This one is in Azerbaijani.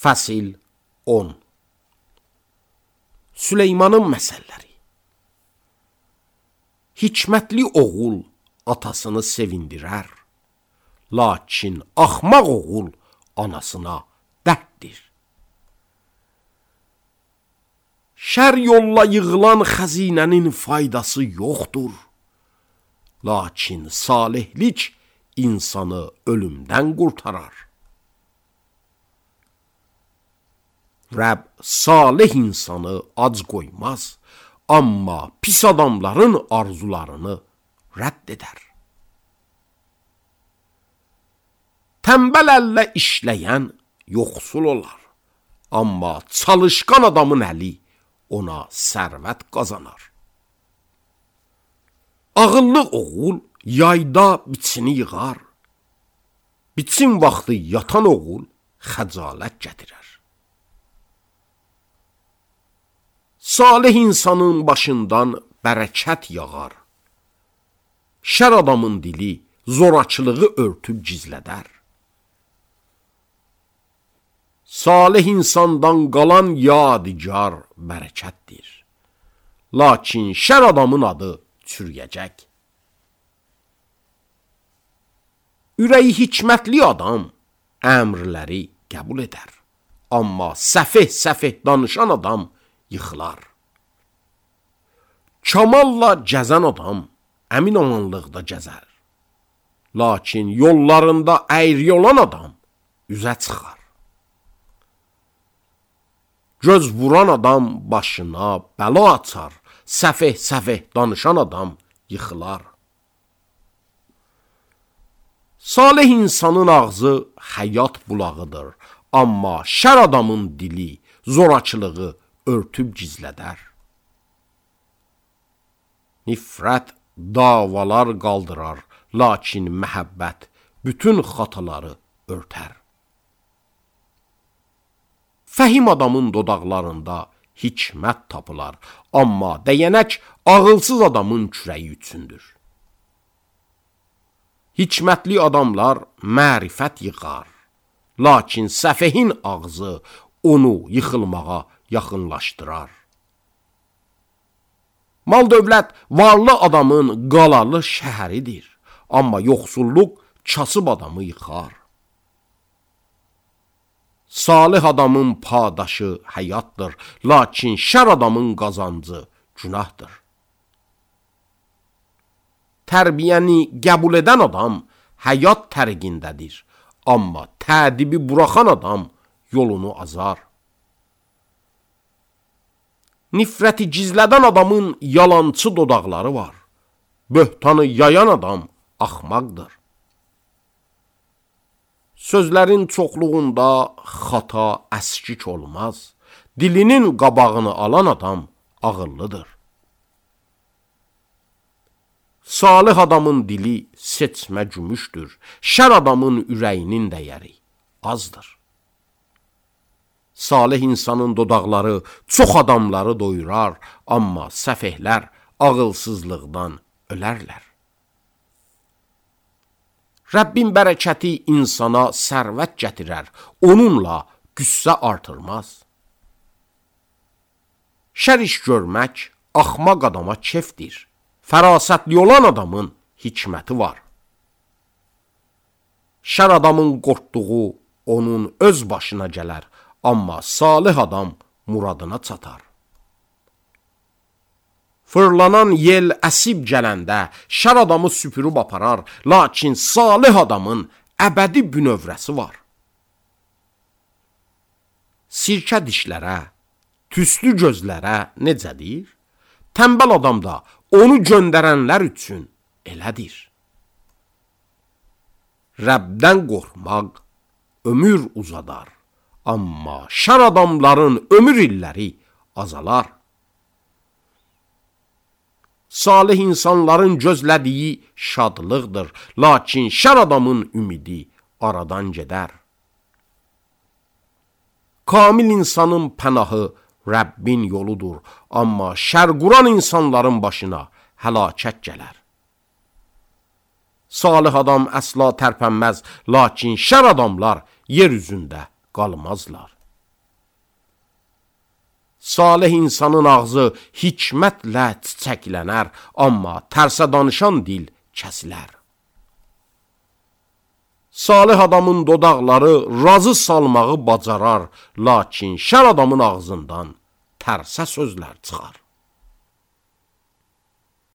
Fəsil 10. Süleymanın məsəlləri. Hikmətli oğul atasını sevindirər, lakin axmaq oğul anasına dərddir. Şər yolla yığılan xəzinənin faydası yoxdur, lakin salihlik insanı ölümdən qurtarar. Rəbb salih insanı ac qoymaz, amma pis adamların arzularını rədd edər. Tənbəl əllə işləyən yoxsul olar, amma çalışqan adamın əli ona sərvət qazanar. Ağıllı oğul yayda biçini yığar, biçin vaxtı yatan oğul xəcalət gətirər. Salih insanın başından bərəkət yağar, şər adamın dili zorakılığı örtüb gizlədər. Salih insandan qalan yadigar bərəkətdir, lakin şər adamın adı çürüyəcək. Ürəyi hikmətli adam əmrləri qəbul edər, amma səfeh danışan adam yıxılar. Kamalla gəzən adam əmin amanlıqda gəzər, lakin yollarında əyri olan adam üzə çıxar. Göz vuran adam başına bəla açar, səfeh danışan adam yıxılar. Salih insanın ağzı həyat bulağıdır, amma şər adamın dili zorakılığı örtüb gizlədər. Nifrət davalar qaldırar, lakin məhəbbət bütün xataları örtər. Fəhim adamın dodaqlarında hikmət tapılar, amma dəyənək ağılsız adamın kürəyi üçündür. Hikmətli adamlar mərifət yığar, lakin səfehin ağzı onu yıxılmağa yaxınlaşdırar. Mal dövlət varlı adamın qalalı şəhəridir, amma yoxsulluq kasıb adamı yıxar. Salih adamın padaşı həyatdır, lakin şər adamın qazancı günahdır. Tərbiyəni qəbul edən adam həyat tərqindədir, amma tədibi buraxan adam yolunu azar. Nifrəti gizlədən adamın yalançı dodaqları var, böhtanı yayan adam axmaqdır. Sözlərin çoxluğunda xata əskik olmaz, dilinin qabağını alan adam ağıllıdır. Salih adamın dili seçmə gümüşdür, şər adamın ürəyinin dəyəri azdır. Salih insanın dodaqları çox adamları doyurar, amma səfehlər ağılsızlıqdan ölərlər. Rəbbin bərəkəti insana sərvət gətirər, onunla qüssə artırmaz. Şər iş görmək axmaq adama kefdir, fərasətli olan adamın hikməti var. Şər adamın qorxduğu onun öz başına gələr, amma salih adam muradına çatar. Fırlanan yel əsib gələndə şər adamı süpürüb aparar, lakin salih adamın əbədi bünövrəsi var. Sirkə dişlərə, tüslü gözlərə necədir? Tənbəl adam da onu göndərənlər üçün elədir. Rəbdən qorxmaq ömür uzadar, amma şər adamların ömür illəri azalar. Salih insanların gözlədiyi şadlıqdır, lakin şər adamın ümidi aradan gedər. Kamil insanın pənahı Rəbbin yoludur, amma şər quran insanların başına həlakət gələr. Salih adam əsla tərpənməz, lakin şər adamlar yer üzündə qalmazlar. Salih insanın ağzı hikmətlə çiçəklənər, amma tərsə danışan dil kəsilər. Salih adamın dodaqları razı salmağı bacarar, lakin şər adamın ağzından tərsə sözlər çıxar.